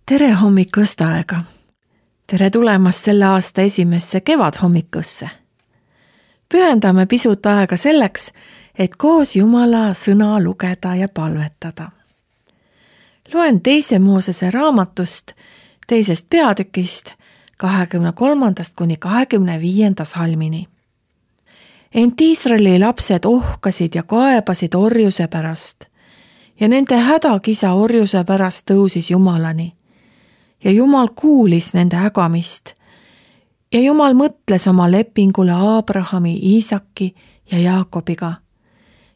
Tere hommikust aega! Tere tulemast selle aasta esimesse kevadhommikusse. Pühendame pisut aega selleks, et koos Jumala sõna lugeda ja palvetada. Loen 2. Moosese raamatust, 2. peatükist, 23. kuni 25. salmini. Ent Iisraeli lapsed ohkasid ja kaebasid orjuse pärast ja nende hädakisa orjuse pärast tõusis Jumalani. Ja Jumal kuulis nende ägamist ja Jumal mõtles oma lepingule Abrahami, Iisaki ja Jaakobiga.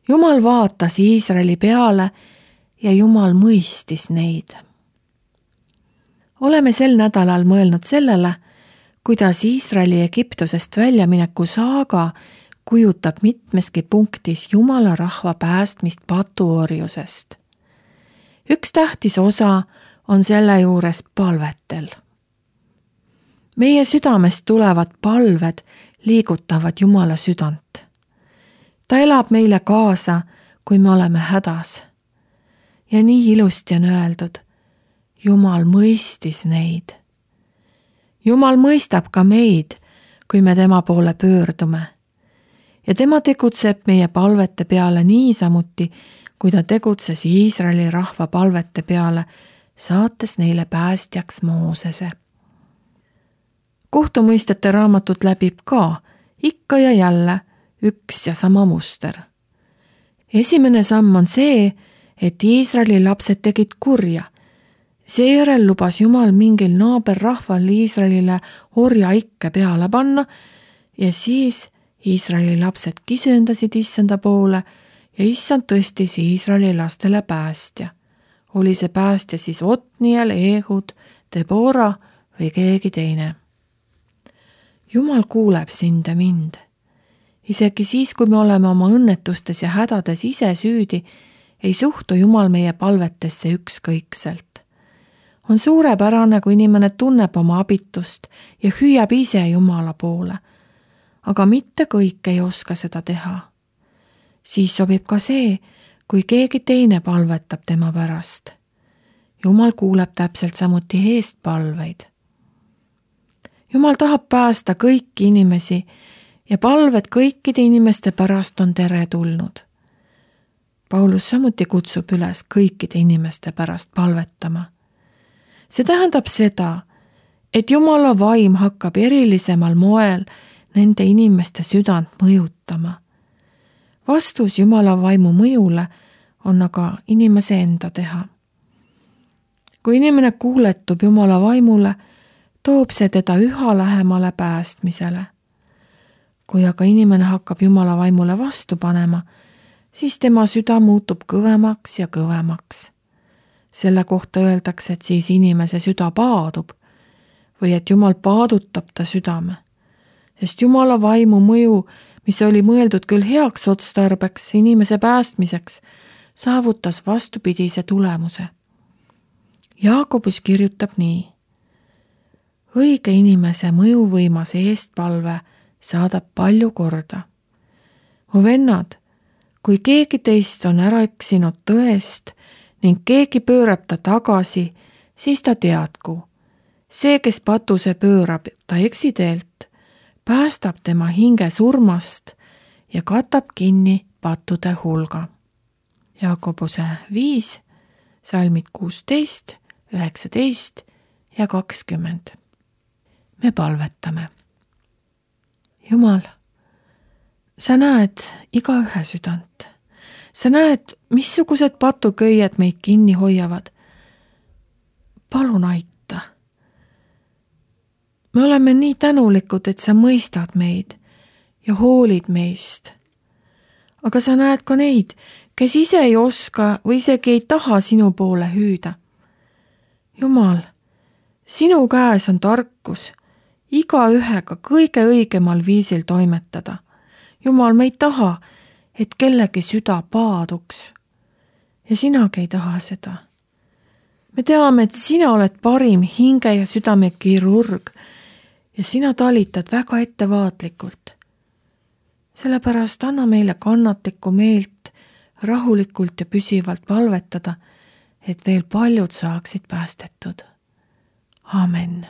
Jumal vaatas Iisraeli peale ja Jumal mõistis neid. Oleme sel nädalal mõelnud sellele, kuidas Iisraeli Egiptusest väljamineku saaga kujutab mitmeski punktis Jumala rahva päästmist patuorjusest. Üks tähtis osa on selle juures palvetel. Meie südamest tulevad palved liigutavad Jumala südant. Ta elab meile kaasa, kui me oleme hädas. Ja nii ilusti on öeldud, Jumal mõistis neid. Jumal mõistab ka meid, kui me tema poole pöördume. Ja tema tegutseb meie palvete peale niisamuti, kui ta tegutses Iisraeli rahva palvete peale, saates neile päästjaks Moosese. Kohtumõistete raamatut läbib ka ikka ja jälle üks ja sama muster. Esimene samm on see, et Iisraeli lapsed tegid kurja. Seejärel lubas Jumal mingil naaberrahval Iisraelile orja ikke peale panna ja siis Iisraeli lapsed kisöndasid issanda poole ja issand tõstis Iisraeli lastele päästja. Oli see päästja siis Otniel, Ehud, Debora või keegi teine. Jumal kuuleb sind ja mind. Isegi siis, kui me oleme oma õnnetustes ja hädades ise süüdi, ei suhtu Jumal meie palvetesse ükskõikselt. On suurepärane, kui inimene tunneb oma abitust ja hüüab ise Jumala poole, aga mitte kõik ei oska seda teha. Siis sobib ka see, kui keegi teine palvetab tema pärast. Jumal kuuleb täpselt samuti eestpalveid. Jumal tahab päästa kõiki inimesi ja palved kõikide inimeste pärast on teretulnud. Paulus samuti kutsub üles kõikide inimeste pärast palvetama. See tähendab seda, et Jumala vaim hakkab erilisemal moel nende inimeste südant mõjutama. Vastus Jumala vaimu mõjule on aga inimese enda teha. Kui inimene kuuletub Jumala vaimule, toob see teda üha lähemale päästmisele. Kui aga inimene hakkab Jumala vaimule vastu panema, siis tema süda muutub kõvemaks ja kõvemaks. Selle kohta öeldakse, et siis inimese süda paadub või et Jumal paadutab ta südame. Sest Jumala vaimu mõju, mis oli mõeldud küll heaks otstarbeks inimese päästmiseks, saavutas vastupidise tulemuse. Jaakobus kirjutab nii. Õige inimese mõjuvõimas eestpalve saadab palju korda. Mu vennad, kui keegi teist on ära eksinud tõest ning keegi pöörab ta tagasi, siis ta teadku. See, kes patuse pöörab ta eksiteelt, päästab tema hinge surmast ja katab kinni pattude hulga. Jaakobuse 5, salmid 16, 19 ja 20. Me palvetame. Jumal, sa näed igaühe südant. Sa näed, missugused patuköied meid kinni hoiavad. Palun aita. Me oleme nii tänulikud, et sa mõistad meid ja hoolid meist. Aga sa näed ka neid, kes ise ei oska või isegi ei taha sinu poole hüüda. Jumal, sinu käes on tarkus, igaühega kõige õigemal viisil toimetada. Jumal, me ei taha, et kellegi süda paaduks. Ja sinagi ei taha seda. Me teame, et sina oled parim hinge ja südame kirurg ja sina talitad väga ettevaatlikult. Sellepärast anna meile kannatlikku meelt rahulikult ja püsivalt palvetada, et veel paljud saaksid päästetud. amen.